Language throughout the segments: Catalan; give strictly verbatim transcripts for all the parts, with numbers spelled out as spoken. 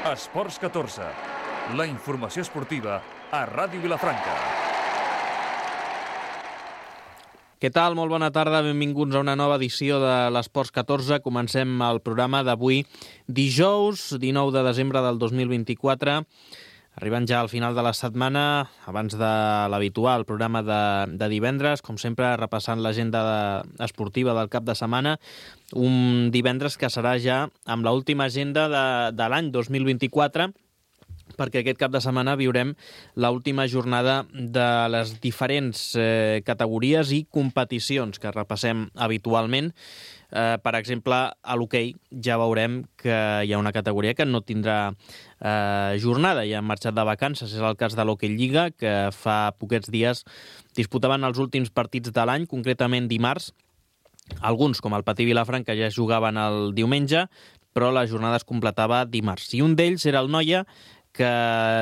Esports catorze, la informació esportiva a Ràdio Vilafranca. Què tal? Molt bona tarda, benvinguts a una nova edició de l'Esports catorze. Comencem el programa d'avui, dijous dinou de desembre del dos mil vint-i-quatre. Arribant ja al final de la setmana, abans de l'habitual programa de, de divendres, com sempre repassant l'agenda de, esportiva del cap de setmana, un divendres que serà ja amb l'última agenda de, de l'any dos mil vint-i-quatre, perquè aquest cap de setmana viurem l'última jornada de les diferents eh, categories i competicions que repassem habitualment. Eh, per exemple, a l'hoquei ja veurem que hi ha una categoria que no tindrà eh, jornada, ja han marxat de vacances. És el cas de l'Hoquei Lliga, que fa poquets dies disputaven els últims partits de l'any, concretament dimarts. Alguns, com el Patí Vilafranca, ja jugaven el diumenge, però la jornada es completava dimarts. I un d'ells era el Noia, que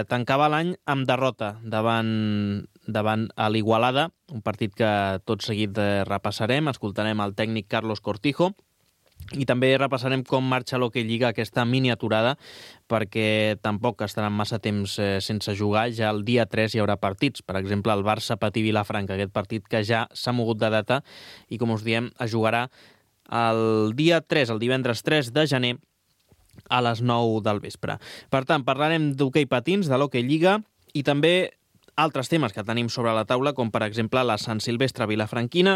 tancava l'any amb derrota davant, davant a l'Igualada, un partit que tot seguit repassarem, escoltarem el tècnic Carlos Cortijo, i també repassarem com marxa l'Hoquei Lliga, aquesta miniaturada, perquè tampoc estaran massa temps eh, sense jugar. Ja el dia tres hi haurà partits, per exemple el Barça-Patí Vilafranca, aquest partit que ja s'ha mogut de data i, com us diem, es jugarà el dia tres, el divendres tres de gener, a les nou del vespre. Per tant, parlarem d'hoquei patins, de l'Hoquei Lliga i també altres temes que tenim sobre la taula, com per exemple la Sant Silvestre Vilafranquina,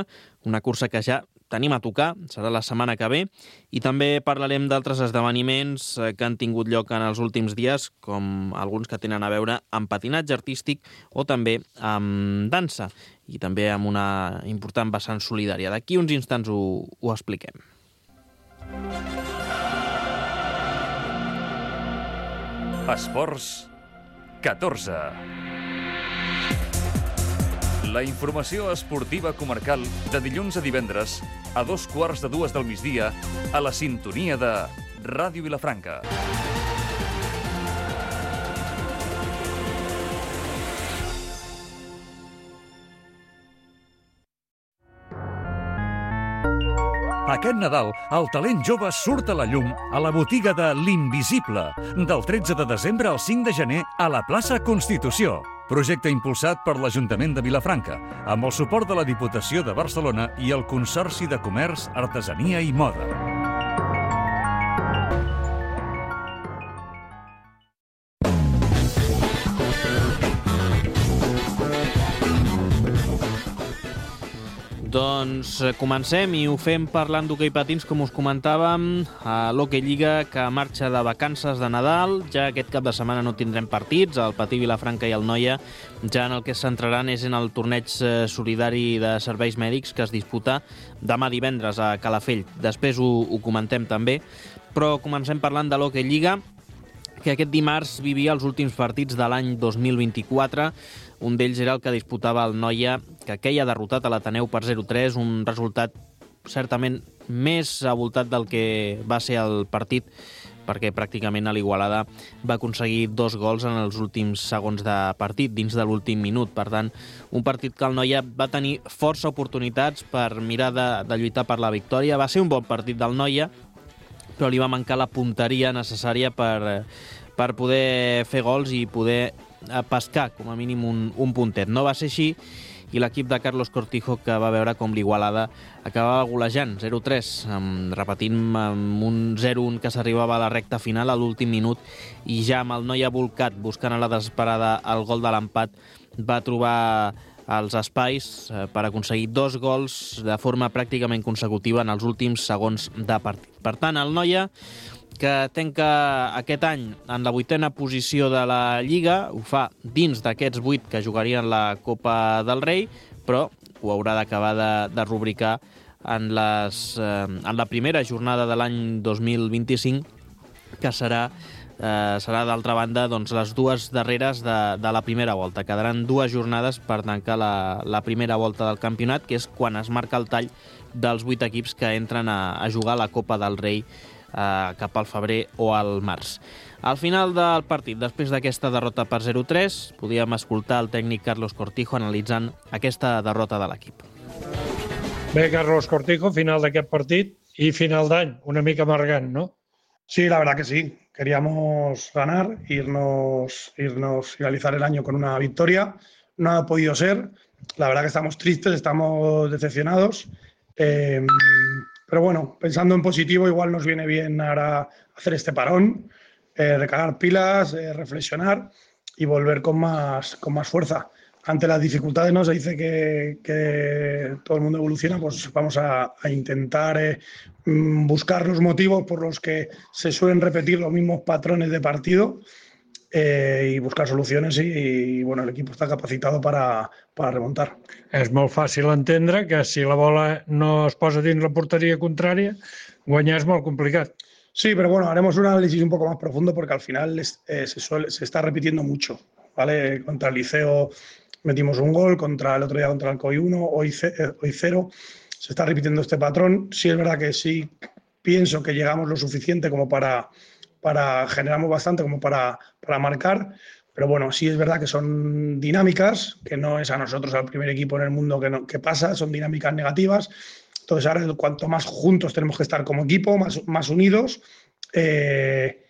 una cursa que ja tenim a tocar, serà la setmana que ve, i també parlarem d'altres esdeveniments que han tingut lloc en els últims dies, com alguns que tenen a veure amb patinatge artístic o també amb dansa, i també amb una important vessant solidària. D'aquí uns instants ho, ho expliquem. Esports catorze. La informació esportiva comarcal de dilluns a divendres a dos quarts de dues del migdia a la sintonia de Ràdio Vilafranca. Aquest Nadal, el talent jove surt a la llum a la botiga de l'Invisible, del tretze de desembre al cinc de gener a la plaça Constitució. Projecte impulsat per l'Ajuntament de Vilafranca, amb el suport de la Diputació de Barcelona i el Consorci de Comerç, Artesania i Moda. Doncs comencem i ho fem parlant d'hoquei patins, com us comentàvem, a l'Hoquei Lliga, que marxa de vacances de Nadal. Ja aquest cap de setmana no tindrem partits, el Patí Vilafranca i el Noia ja en el que es centraran és en el torneig solidari de serveis mèdics que es disputa demà divendres a Calafell. Després ho, ho comentem també, però comencem parlant de l'Hoquei Lliga, que aquest dimarts vivia els últims partits de l'any dos mil vint-i-quatre. Un d'ells era el que disputava el Noia, que queia derrotat a l'Ateneu per zero tres, un resultat certament més avoltat del que va ser el partit, perquè pràcticament a l'Igualada va aconseguir dos gols en els últims segons de partit, dins de l'últim minut. Per tant, un partit que el Noia va tenir força oportunitats per mirar de, de lluitar per la victòria. Va ser un bon partit del Noia, però li va mancar la punteria necessària per, per poder fer gols i poder pescar, com a mínim, un, un puntet. No va ser així, i l'equip de Carlos Cortijo, que va veure com l'Igualada acabava golejant zero tres, amb, repetint amb un zero un que s'arribava a la recta final a l'últim minut, i ja amb el Noia volcat buscant a la desesperada el gol de l'empat, va trobar els espais per aconseguir dos gols de forma pràcticament consecutiva en els últims segons de partit. Per tant, el Noia, que tanca aquest any en la vuitena posició de la Lliga, ho fa dins d'aquests vuit que jugarien la Copa del Rei, però ho haurà d'acabar de, de rubricar en, les, eh, en la primera jornada de l'any dos mil vint-i-cinc, que serà, eh, serà d'altra banda, doncs, les dues darreres de, de la primera volta. Quedaran dues jornades per tancar la, la primera volta del campionat, que és quan es marca el tall dels vuit equips que entren a, a jugar la Copa del Rei eh, cap al febrer o al març. Al final del partit, després d'aquesta derrota per zero tres, podíem escoltar el tècnic Carlos Cortijo analitzant aquesta derrota de l'equip. Bé, Carlos Cortijo, final d'aquest partit i final d'any, una mica amargant, no? Sí, la verdad que sí. Queríamos ganar, irnos, irnos, finalizar el año con una victoria. No ha podido ser. La verdad que estamos tristes, estamos decepcionados. Eh, pero bueno, pensando en positivo, igual nos viene bien ahora hacer este parón, eh, recargar pilas, eh, reflexionar y volver con más, con más fuerza. Ante las dificultades, ¿no? Se dice que, que todo el mundo evoluciona, pues vamos a, a intentar eh, buscar los motivos por los que se suelen repetir los mismos patrones de partido eh, y buscar soluciones y, y bueno, el equipo está capacitado para, para remontar. És molt fàcil entendre que si la bola no es posa dins la porteria contrària, guanyar és molt complicat. Sí, pero bueno, haremos un análisis un poco más profundo porque al final eh, se, suele, se está repitiendo mucho, ¿vale? Contra el Liceo metimos un gol, contra el otro día contra el Alcoy uno, hoy, hoy cero. Se está repitiendo este patrón. Sí es verdad que sí pienso que llegamos lo suficiente como para, para generamos bastante como para, para marcar, pero bueno, sí es verdad que son dinámicas, que no es a nosotros, al primer equipo en el mundo que, no, que pasa, son dinámicas negativas. Entonces ahora cuanto más juntos tenemos que estar como equipo, más, más unidos, eh,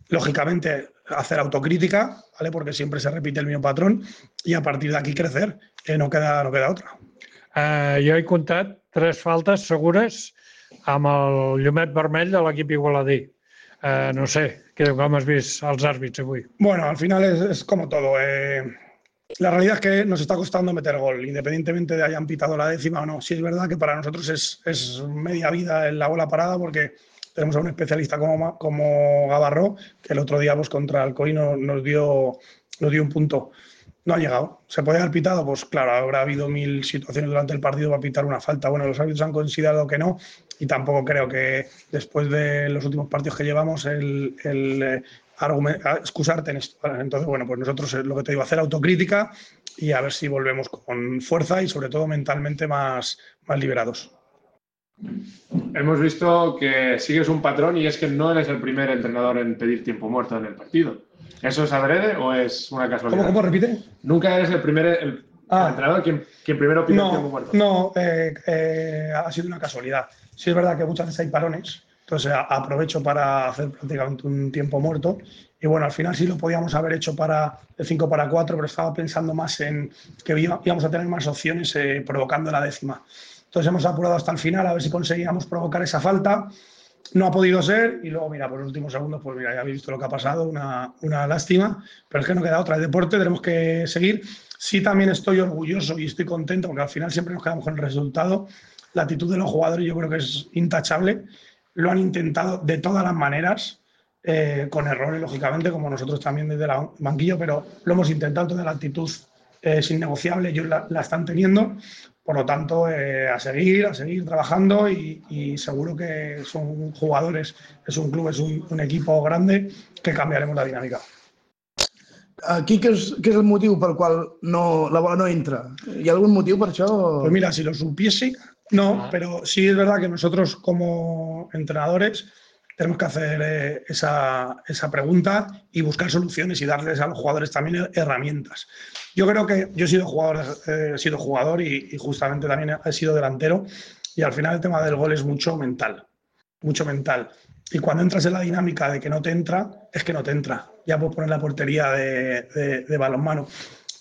lógicamente hacer autocrítica, ¿vale? Porque siempre se repite el mismo patrón y a partir de aquí crecer, eh, no, queda, no queda otra. Uh, jo he comptat tres faltes segures amb el llumet vermell de l'equip igualadí. Uh, no sé, com has vist els àrbits avui? Bueno, al final es, es como todo. Eh, la realidad es que nos está costando meter gol, independientemente de hayan pitado la décima o no. Sí es verdad que para nosotros es, es media vida en la bola parada porque tenemos a un especialista como, como Gavarró, que el otro día pues, contra Alcoy nos, nos, dio, nos dio un punto. No ha llegado. ¿Se puede haber pitado? Pues claro, habrá habido mil situaciones durante el partido para pitar una falta. Bueno, los árbitros han considerado que no y tampoco creo que después de los últimos partidos que llevamos el, el eh, excusarte en esto. Entonces, bueno, pues nosotros lo que te digo, hacer autocrítica y a ver si volvemos con fuerza y sobre todo mentalmente más, más liberados. Hemos visto que sigues un patrón y es que no eres el primer entrenador en pedir tiempo muerto en el partido. ¿Eso es adrede o es una casualidad? ¿Cómo, cómo repite? Nunca eres el primer el, ah. el entrenador quien, quien primero pide no, tiempo muerto. No, eh, eh, ha sido una casualidad. Sí es verdad que muchas veces hay parones, entonces aprovecho para hacer prácticamente un tiempo muerto. Y bueno, al final sí lo podíamos haber hecho para el cinco para cuatro, pero estaba pensando más en que íbamos a tener más opciones eh, provocando la décima. Entonces hemos apurado hasta el final a ver si conseguíamos provocar esa falta. No ha podido ser y luego, mira, por los últimos segundos, pues mira, ya habéis visto lo que ha pasado, una, una lástima, pero es que no queda otra. El deporte tenemos que seguir. Sí también estoy orgulloso y estoy contento porque al final siempre nos quedamos con el resultado. La actitud de los jugadores yo creo que es intachable. Lo han intentado de todas las maneras, eh, con errores, lógicamente, como nosotros también desde el banquillo, pero lo hemos intentado. Toda la actitud eh, es innegociable, ellos la, la están teniendo. Por lo tanto, eh, a seguir, a seguir trabajando y, y seguro que son jugadores, es un club, es un, un equipo grande que cambiaremos la dinámica. Aquí, què és, què és el motiu pel qual no, la bola no entra? ¿Hi ha algún motiu per això? Pues mira, si lo supiese, no, pero sí es verdad que nosotros como entrenadores tenemos que hacer eh, esa, esa pregunta y buscar soluciones y darles a los jugadores también herramientas. Yo creo que yo he sido jugador, eh, he sido jugador y, y justamente también he sido delantero y al final el tema del gol es mucho mental, mucho mental. Y cuando entras en la dinámica de que no te entra, es que no te entra. Ya puedes poner la portería de, de, de balonmano.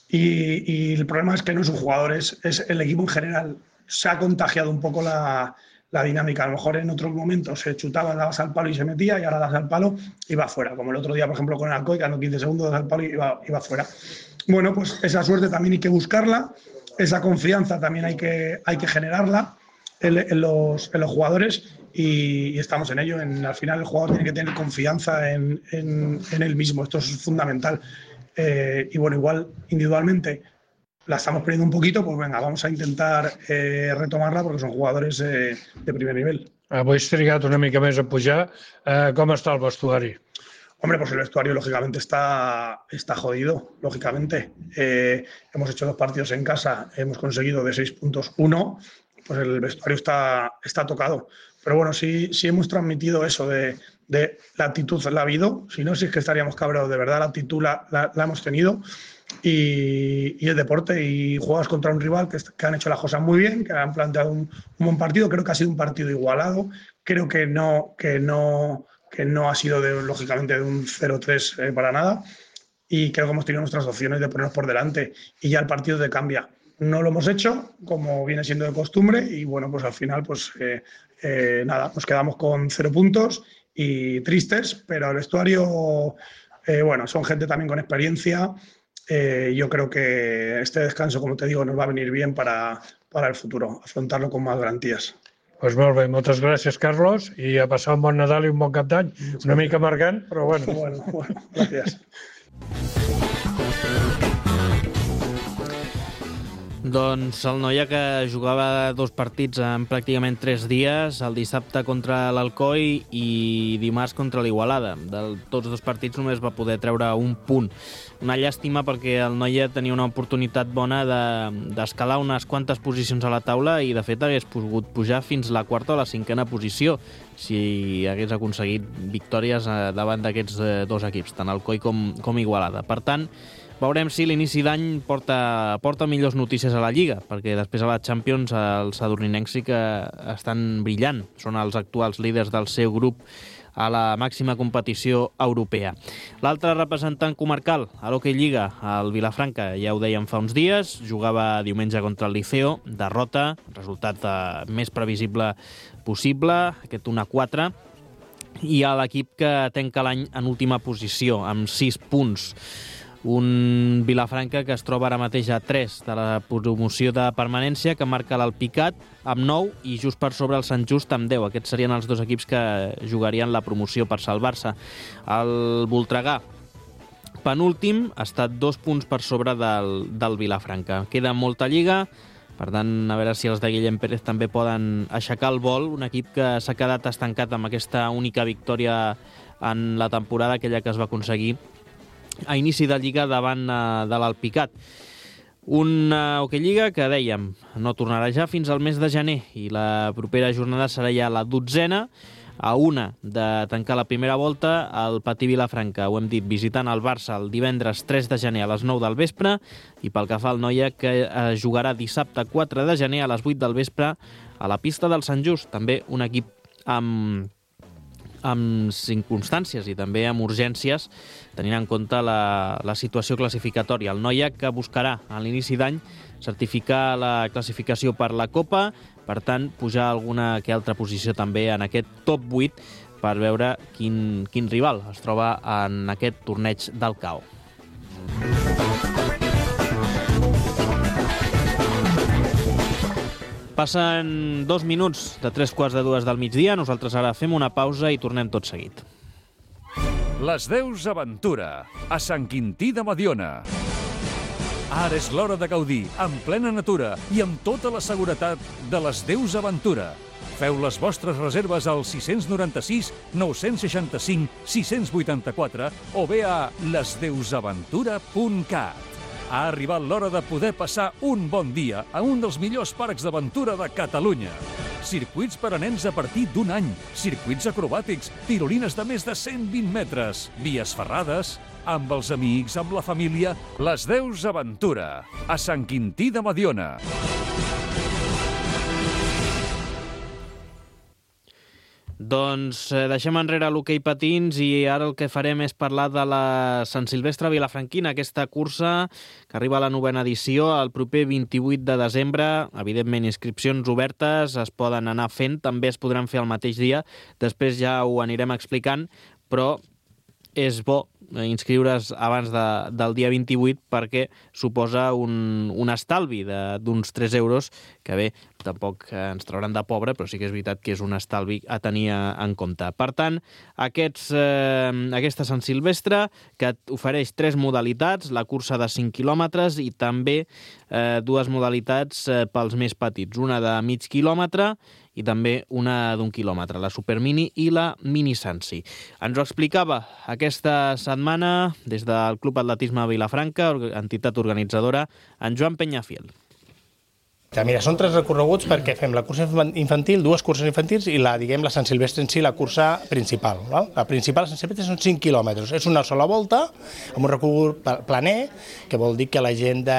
Y, y el problema es que no es un jugador, es, es el equipo en general. Se ha contagiado un poco la, la dinámica. A lo mejor en otros momentos se chutaba, dabas al palo y se metía, y ahora das al palo y va fuera. Como el otro día, por ejemplo, con el Alcoy, ganó quince segundos, das al palo y va, y va fuera. Bueno, pues esa suerte también hay que buscarla, esa confianza también hay que, hay que generarla en, en, los, en los jugadores y, y estamos en ello. En, al final el jugador tiene que tener confianza en, en, en él mismo, esto es fundamental. Eh, y bueno, igual individualmente la estamos perdiendo un poquito, pues venga, vamos a intentar eh, retomarla porque son jugadores eh, de primer nivel. Avui has trigat una mica més a pujar. Eh, com està el vestuari? Hombre, pues el vestuario lógicamente está, está jodido, lógicamente. Eh, hemos hecho dos partidos en casa, hemos conseguido de seis puntos uno, pues el vestuario está, está tocado. Pero bueno, sí, sí hemos transmitido eso de, de la actitud, la ha habido, si no, sí es que estaríamos cabreados, de verdad la actitud la, la, la hemos tenido y, y el deporte y juegas contra un rival que, que han hecho las cosas muy bien, que han planteado un, un buen partido, creo que ha sido un partido igualado, creo que no... Que no que no ha sido, de, lógicamente, de un cero tres eh, para nada. Y creo que hemos tenido nuestras opciones de ponernos por delante y ya el partido te cambia. No lo hemos hecho, como viene siendo de costumbre, y bueno, pues al final, pues eh, eh, nada, nos quedamos con cero puntos y tristes, pero el vestuario, eh, bueno, son gente también con experiencia. Eh, yo creo que este descanso, como te digo, nos va a venir bien para, para el futuro, afrontarlo con más garantías. Pues molt bé, moltes gràcies, Carlos, i a passar un bon Nadal i un bon Cap d'Any. Una mica amargant, però bueno. Bueno, bueno, gràcies. Doncs el Noia, que jugava dos partits en pràcticament tres dies, el dissabte contra l'Alcoi i dimarts contra l'Igualada. De tots dos partits només va poder treure un punt. Una llàstima, perquè el Noia tenia una oportunitat bona d'escalar de, unes quantes posicions a la taula i de fet hagués pogut pujar fins la quarta o la cinquena posició si hagués aconseguit victòries davant d'aquests dos equips, tant Alcoi com, com Igualada. Per tant, veurem si l'inici d'any porta, porta millors notícies a la Lliga, perquè després a la Champions els sadurninencs sí que estan brillant. Són els actuals líders del seu grup a la màxima competició europea. L'altre representant comarcal a l'Hockey Lliga, el Vilafranca, ja ho dèiem fa uns dies, jugava diumenge contra el Liceo, derrota, resultat eh, més previsible possible, aquest un a quatre, i a l'equip que tanca l'any en última posició, amb sis punts. Un Vilafranca que es troba ara mateix a tres de la promoció de permanència, que marca l'Alpicat amb nou i just per sobre el Sant Just amb deu. Aquests serien els dos equips que jugarien la promoció per salvar-se. El Voltregà, penúltim, ha estat dos punts per sobre del, del Vilafranca. Queda molta lliga, per tant, a veure si els de Guillem Pérez també poden aixecar el vol. Un equip que s'ha quedat estancat amb aquesta única victòria en la temporada, aquella que es va aconseguir a inici de Lliga davant uh, de l'Alpicat. Una Hockey Lliga que, dèiem, no tornarà ja fins al mes de gener i la propera jornada serà ja la dotzena, a una de tancar la primera volta. El Patí Vilafranca, ho hem dit, visitant el Barça el divendres tres de gener a les nou del vespre, i pel que fa al Noia, que uh, jugarà dissabte quatre de gener a les vuit del vespre a la pista del Sant Just, també un equip amb amb circumstàncies i també amb urgències, tenint en compte la, la situació classificatòria. El Noia, que buscarà a l'inici d'any certificar la classificació per la Copa, per tant, pujar alguna que altra posició també en aquest top vuit per veure quin, quin rival es troba en aquest torneig del C A O. Passen dos minuts de tres quarts de dues del migdia. Nosaltres ara fem una pausa i tornem tot seguit. Les Deus Aventura, a Sant Quintí de Mediona. Ara és l'hora de gaudir, en plena natura i amb tota la seguretat de les Deus Aventura. Feu les vostres reserves al sis nou sis, nou sis cinc, sis vuit quatre o bé a les deus aventura punt cat. Ha arribat l'hora de poder passar un bon dia a un dels millors parcs d'aventura de Catalunya. Circuits per a nens a partir d'un any, circuits acrobàtics, tirolines de més de cent vint metres, vies ferrades, amb els amics, amb la família. Les Deus Aventura, a Sant Quintí de Mediona. Doncs eh, deixem enrere l'hoquei patins i ara el que farem és parlar de la Sant Silvestre Vilafranquina, aquesta cursa que arriba a la novena edició el proper vint-i-vuit de desembre. Evidentment, inscripcions obertes es poden anar fent, també es podran fer el mateix dia, després ja ho anirem explicant, però és bo inscriure's abans de, del dia vint-i-vuit perquè suposa un, un estalvi d'uns tres euros, que bé, tampoc ens trauran de pobre, però sí que és veritat que és un estalvi a tenir en compte. Per tant, aquests, eh, aquesta Sant Silvestre, que ofereix tres modalitats, la cursa de cinc quilòmetres i també eh, dues modalitats eh, pels més petits, una de mig quilòmetre i també una d'un quilòmetre, la Supermini i la Mini Sansi. Ens ho explicava aquesta setmana des del Club Atletisme Vilafranca, entitat organitzadora, en Joan Peñafiel. Exacte, mira, són tres recorreguts perquè fem la cursa infantil, dues curses infantils i la, diguem, la Sant Silvestre en si, la cursa principal. No? La principal, la Sant Silvestre, són cinc quilòmetres. És una sola volta, amb un recorregut planer, que vol dir que la gent de,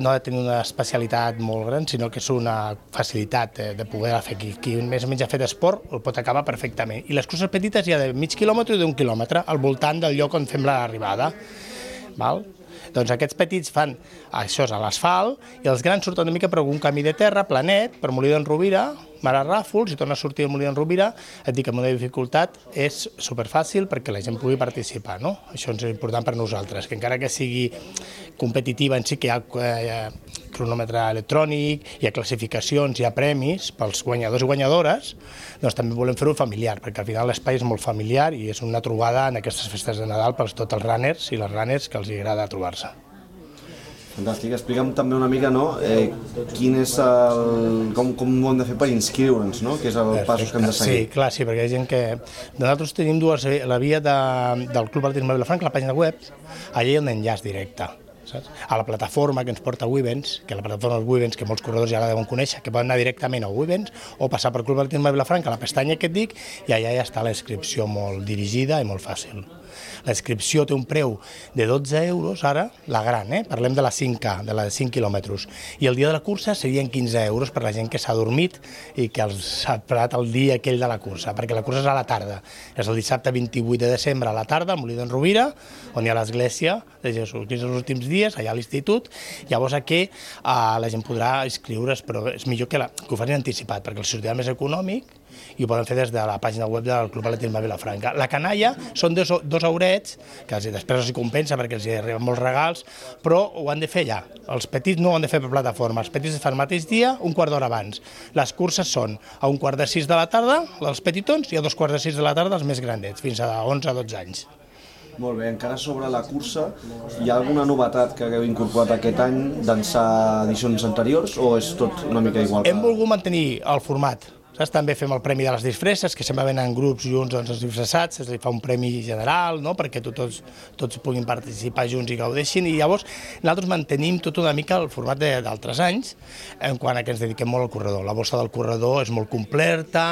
no ha de tenir una especialitat molt gran, sinó que és una facilitat de, de poder fer. Qui, qui més o menys ha fet esport el pot acabar perfectament. I les curses petites hi ha de mig quilòmetre i d'un quilòmetre, al voltant del lloc on fem l'arribada. Val? Doncs aquests petits fan això a l'asfalt i els grans surten una mica per un camí de terra, planet, per Molí d'en Rovira, Mare Ràfols, i torna a sortir a Molí d'en Rovira. Et dic que amb una dificultat és superfàcil perquè la gent pugui participar, no? Això és important per nosaltres, que encara que sigui competitiva en si, que hi ha, hi ha cronòmetre electrònic, hi ha classificacions, hi ha premis pels guanyadors i guanyadores, doncs també volem fer-ho familiar, perquè al final l'espai és molt familiar i és una trobada en aquestes festes de Nadal per tots els runners i les runners que els agrada trobar-se. Fantàstic. Explica'm també una mica, no?, eh, quin és el... com, com ho hem de fer per inscriure'ns, no?, que és el pas que hem de seguir. Sí, clar, sí, perquè hi ha gent que... Nosaltres tenim dues, la via de, del Club Atletisme Vilafranca, la pàgina web, allà hi ha un enllaç directe, saps? A la plataforma que ens porta Wivens, que la plataforma dels Wivens, que molts corredors ja la deuen conèixer, que poden anar directament a Wivens o passar per Club Atletisme Vilafranca, a la pestanya que et dic, i allà ja està la inscripció molt dirigida i molt fàcil. La inscripció té un preu de dotze euros, ara, la gran, eh? Parlem de la cinc K, de la de cinc quilòmetres. I el dia de la cursa serien quinze euros per la gent que s'ha dormit i que s'ha parat el dia aquell de la cursa, perquè la cursa és a la tarda. És el dissabte vint-i-vuit de desembre a la tarda, a Molí d'en Rovira, on hi ha l'església de Jesús Crist els últims dies, allà a l'institut. Llavors aquí eh, la gent podrà inscriure's, però és millor que, la, que ho facin anticipat, perquè el sortirà més econòmic i ho poden fer des de la pàgina web del Club Atletisme Vilafranca. La canalla són dos, dos eurets, que els, després els compensa perquè els arriben molts regals, però ho han de fer ja. Els petits no ho han de fer per plataforma, els petits es fan el mateix dia, un quart d'hora abans. Les curses són a un quart de sis de la tarda, els petitons, i a dos quarts de sis de la tarda els més grandets, fins a onze a dotze anys. Molt bé, encara sobre la cursa, hi ha alguna novetat que hagueu incorporat aquest any d'ençà edicions anteriors o és tot una mica igual? Hem volgut mantenir el format. Saps? També fem el premi de les disfresses, que sempre venen grups junts doncs, els disfressats, es fa un premi general, no?, perquè tots, tots puguin participar junts i gaudeixin, i llavors nosaltres mantenim tot una mica el format d'altres anys, en quant a que ens dediquem molt al corredor. La bossa del corredor és molt completa,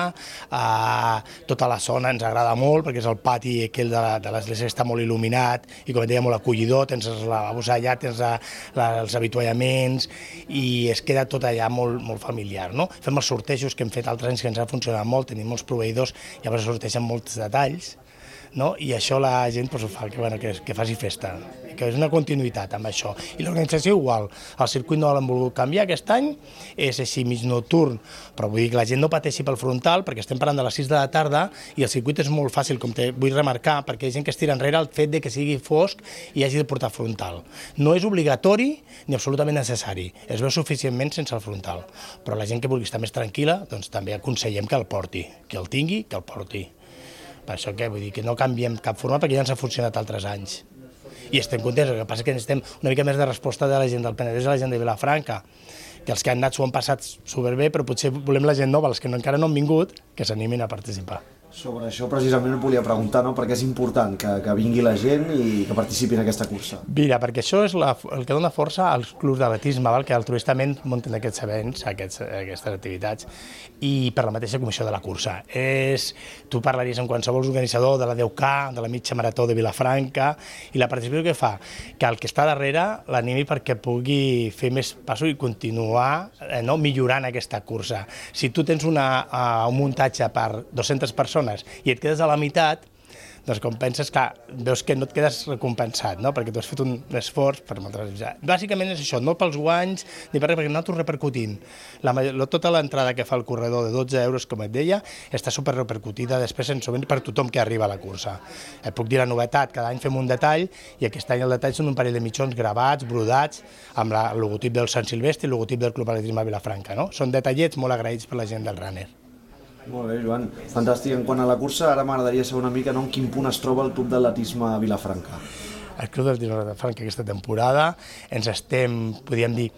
eh, tota la zona ens agrada molt, perquè és el pati aquell de l'església que està molt il·luminat, i com et deia, molt acollidor, tens els lavabos allà, tens la, la, els avituallaments, i es queda tot allà molt, molt familiar, no? Fem els sortejos que hem fet altres que ens ha funcionat molt, tenim molts proveïdors, llavors sorteixen molts detalls, no? I això la gent pues, ho fa, que, bueno, que, que faci festa, que és una continuïtat amb això. I l'organització igual, el circuit no l'hem volgut canviar aquest any, és així mig nocturn, però vull dir que la gent no pateixi pel frontal, perquè estem parlant de les sis de la tarda i el circuit és molt fàcil, com te vull remarcar, perquè hi ha gent que es tira enrere el fet de que sigui fosc i hagi de portar frontal. No és obligatori ni absolutament necessari, es veu suficientment sense el frontal, però la gent que vulgui estar més tranquil·la, doncs també aconsellem que el porti, que el tingui, que el porti. Per això que vull dir que no canviem cap forma perquè ja ens ha funcionat altres anys. I estem contents, el que passa és que necessitem una mica més de resposta de la gent del Penedès i la gent de Vilafranca, que els que han anat s'ho han passat superbé, però potser volem la gent nova, els que no, encara no han vingut, que s'animin a participar. Sobre això precisament et volia preguntar, no?, perquè és important que, que vingui la gent i que participi en aquesta cursa. Mira, perquè això és la, el que dona força als clubs d'atletisme, que altruistament munten aquests events, aquests, aquestes activitats, i per la mateixa comissió de la cursa. És, tu parlaries amb qualsevol organitzador de la deu K, de la mitja marató de Vilafranca, i la participació que fa, que el que està darrere l'animi perquè pugui fer més passos i continuar eh, no, millorant aquesta cursa. Si tu tens una, uh, un muntatge per dues-centes persones i et quedes a la meitat, doncs com penses, clar, veus que no et quedes recompensat, no?, perquè tu has fet un esforç per materialitzar. Bàsicament és això, no pels guanys, ni per res, perquè nosaltres repercutim. La, tota l'entrada que fa el corredor de dotze euros, com et deia, està superrepercutida després sensiblement per tothom que arriba a la cursa. Et puc dir la novetat, cada any fem un detall, i aquest any el detall són un parell de mitjons gravats, brodats, amb la, el logotip del Sant Silvestre i el logotip del Club Atletisme Vilafranca, no? Són detallets molt agraïts per la gent del runner. Molt bé, Joan. Fantàstic. En quant a la cursa, ara m'agradaria saber una mica, no?, en quin punt es troba el Club d'Atletisme Vilafranca. El Club d'Atletisme Vilafranca aquesta temporada ens estem, podríem dir,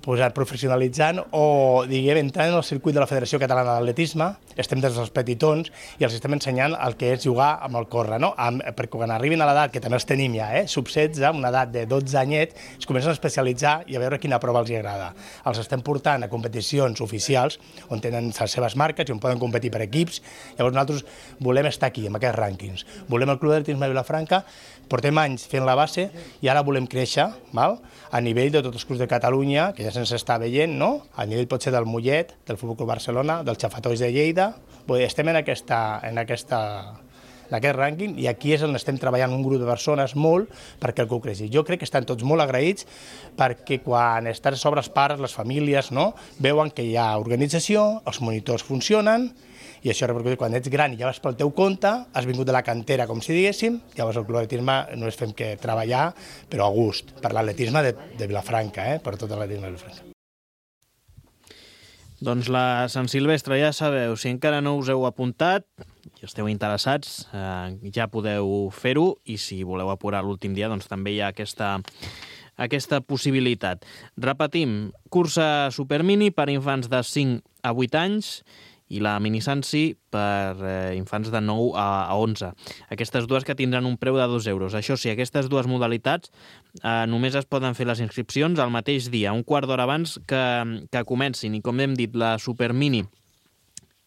posat professionalitzant o, diguem, entrant en el circuit de la Federació Catalana d'Atletisme, estem des dels petitons i els estem ensenyant el que és jugar amb el córrer, no? Amb, perquè quan arribin a l'edat, que també els tenim ja, eh? sub setze, amb una edat de dotze anyets, es comencen a especialitzar i a veure quina prova els agrada. Els estem portant a competicions oficials on tenen les seves marques i on poden competir per equips. Llavors nosaltres volem estar aquí, en aquests rànquings. Volem el Club d'Atletisme de Vilafranca, portem anys fent la base i ara volem créixer, val? A nivell de tots els clubs de Catalunya, que ja se'ns està veient, no? A nivell potser del Mollet, del Futbol Club Barcelona, del Xafatois de Lleida. Estem en, aquesta, en, aquesta, en aquest rànquing i aquí és on estem treballant un grup de persones molt perquè el club creixi. Jo crec que estan tots molt agraïts perquè quan estàs sobre els pares, les famílies, no? Veuen que hi ha organització, els monitors funcionen, i això repercutit quan ets gran i ja vas pel teu compte, has vingut de la cantera, com si diguéssim, llavors el Club d'Atletisme no és fem que treballar, però a gust, per l'atletisme de, de Vilafranca, eh? Per tot l'atletisme de Vilafranca. Doncs la Sant Silvestre, ja sabeu, si encara no us heu apuntat i esteu interessats, eh, ja podeu fer-ho, i si voleu apurar l'últim dia, doncs també hi ha aquesta, aquesta possibilitat. Repetim, cursa supermini per infants de cinc a vuit anys, i la minisansi per eh, infants de nou a onze. Aquestes dues que tindran un preu de dos euros. Això sí, aquestes dues modalitats eh, només es poden fer les inscripcions el mateix dia, un quart d'hora abans que, que comencin. I com hem dit, la Supermini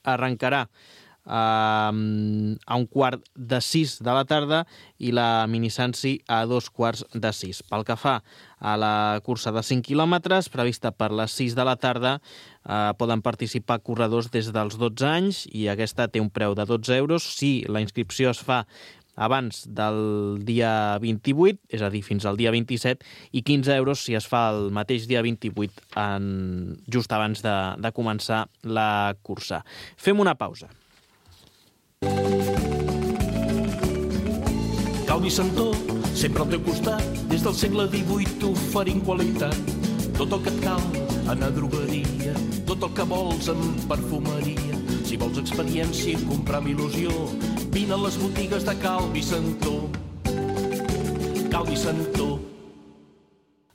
arrencarà eh, a un quart de sis de la tarda i la minisansi a dos quarts de sis. Pel que fa a la cursa de cinc quilòmetres, prevista per les sis de la tarda, eh, poden participar corredors des dels dotze anys i aquesta té un preu de dotze euros si la inscripció es fa abans del dia vint-i-vuit, és a dir, fins al dia vint-i-set, i quinze euros si es fa el mateix dia vint-i-vuit, en, just abans de, de començar la cursa. Fem una pausa. Calvi Santó, sempre al teu costat, des del segle divuit oferint qualitat. Tot el que et cal, anar a drogueria, tot el que vols en perfumeria. Si vols experiència i comprar amb il·lusió, vine a les botigues de Calvi Santó. Calvi Santó.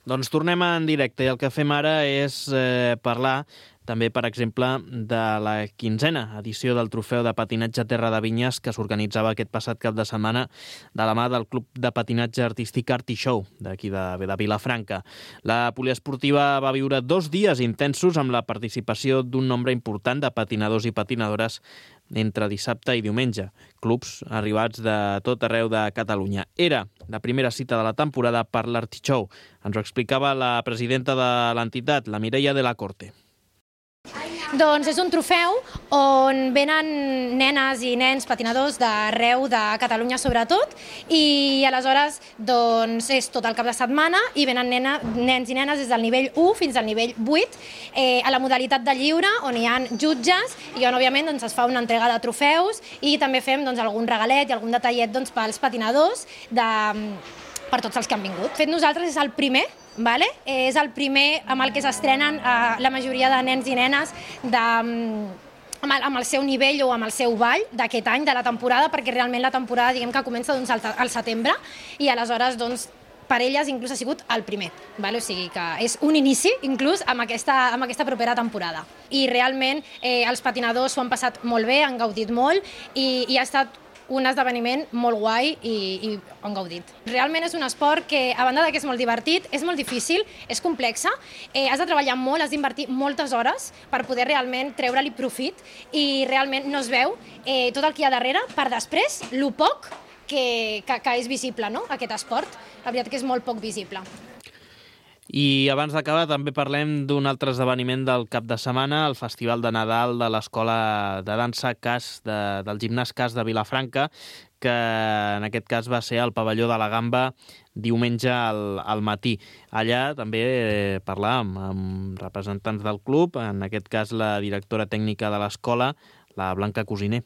Doncs tornem en directe i el que fem ara és eh, parlar també, per exemple, de la quinzena edició del Trofeu de Patinatge Terra de Vinyes que s'organitzava aquest passat cap de setmana de la mà del Club de Patinatge Artístic Artishow, d'aquí de, de Vilafranca. La poliesportiva va viure dos dies intensos amb la participació d'un nombre important de patinadors i patinadores entre dissabte i diumenge, clubs arribats de tot arreu de Catalunya. Era la primera cita de la temporada per l'Artishow. Ens ho explicava la presidenta de l'entitat, la Mireia de la Corte. Doncs és un trofeu on venen nenes i nens patinadors d'arreu de Catalunya sobretot i aleshores doncs, és tot el cap de setmana i venen nena, nens i nenes des del nivell u fins al nivell vuit eh, a la modalitat de lliure on hi ha jutges i on òbviament doncs, es fa una entrega de trofeus i també fem doncs, algun regalet i algun detallet doncs, pels patinadors de, per tots els que han vingut. De fet, nosaltres és el primer Vale? És el primer amb el que s'estrenen eh, la majoria de nens i nenes de, amb, el, amb el seu nivell o amb el seu ball d'aquest any, de la temporada, perquè realment la temporada diguem que comença doncs, al, al setembre i aleshores doncs, per elles inclús ha sigut el primer. Vale? O sigui que és un inici inclús amb aquesta, amb aquesta propera temporada. I realment eh, els patinadors s'ho han passat molt bé, han gaudit molt i, i ha estat un esdeveniment molt guai i, i han gaudit. Realment és un esport que, a banda que és molt divertit, és molt difícil, és complexa, eh, has de treballar molt, has d'invertir moltes hores per poder realment treure-li profit i realment no es veu eh, tot el que hi ha darrere per després, lo poc que, que, que és visible, no?, aquest esport. La veritat que és molt poc visible. I abans d'acabar també parlem d'un altre esdeveniment del cap de setmana, el Festival de Nadal de l'Escola de Dansa Cas, de, del Gimnàs Cas de Vilafranca, que en aquest cas va ser al pavelló de la Gamba diumenge al, al matí. Allà també eh, parlàvem amb representants del club, en aquest cas la directora tècnica de l'escola, la Blanca Cosiner.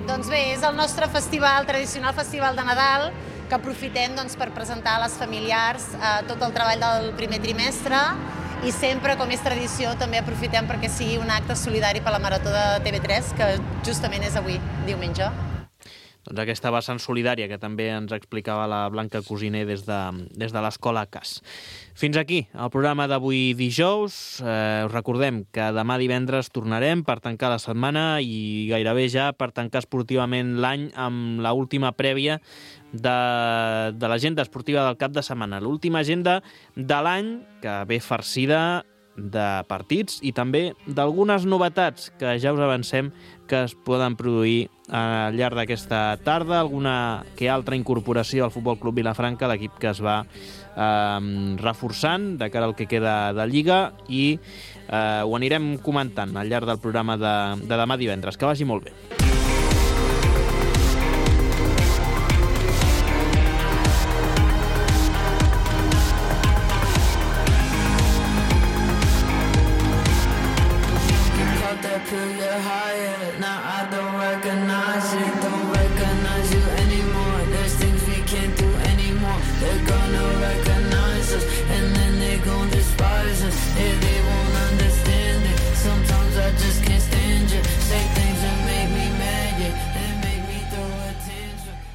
Doncs bé, és el nostre festival, tradicional festival de Nadal, que aprofitem doncs, per presentar a les familiars eh, tot el treball del primer trimestre i sempre, com és tradició, també aprofitem perquè sigui un acte solidari per la Marató de T V tres, que justament és avui, diumenge. doncs, aquesta vessant solidària que també ens explicava la Blanca Cosiner des de, des de l'Escola C A S. Fins aquí el programa d'avui dijous. Eh, us recordem que demà divendres tornarem per tancar la setmana i gairebé ja per tancar esportivament l'any amb l'última prèvia de, de l'agenda esportiva del cap de setmana. L'última agenda de l'any que ve farcida de partits i també d'algunes novetats que ja us avancem que es poden produir al llarg d'aquesta tarda, alguna que altra incorporació al Futbol Club Vilafranca, l'equip que es va eh, reforçant de cara al que queda de Lliga, i eh, ho anirem comentant al llarg del programa de, de demà divendres. Que vagi molt bé. Put you higher, now I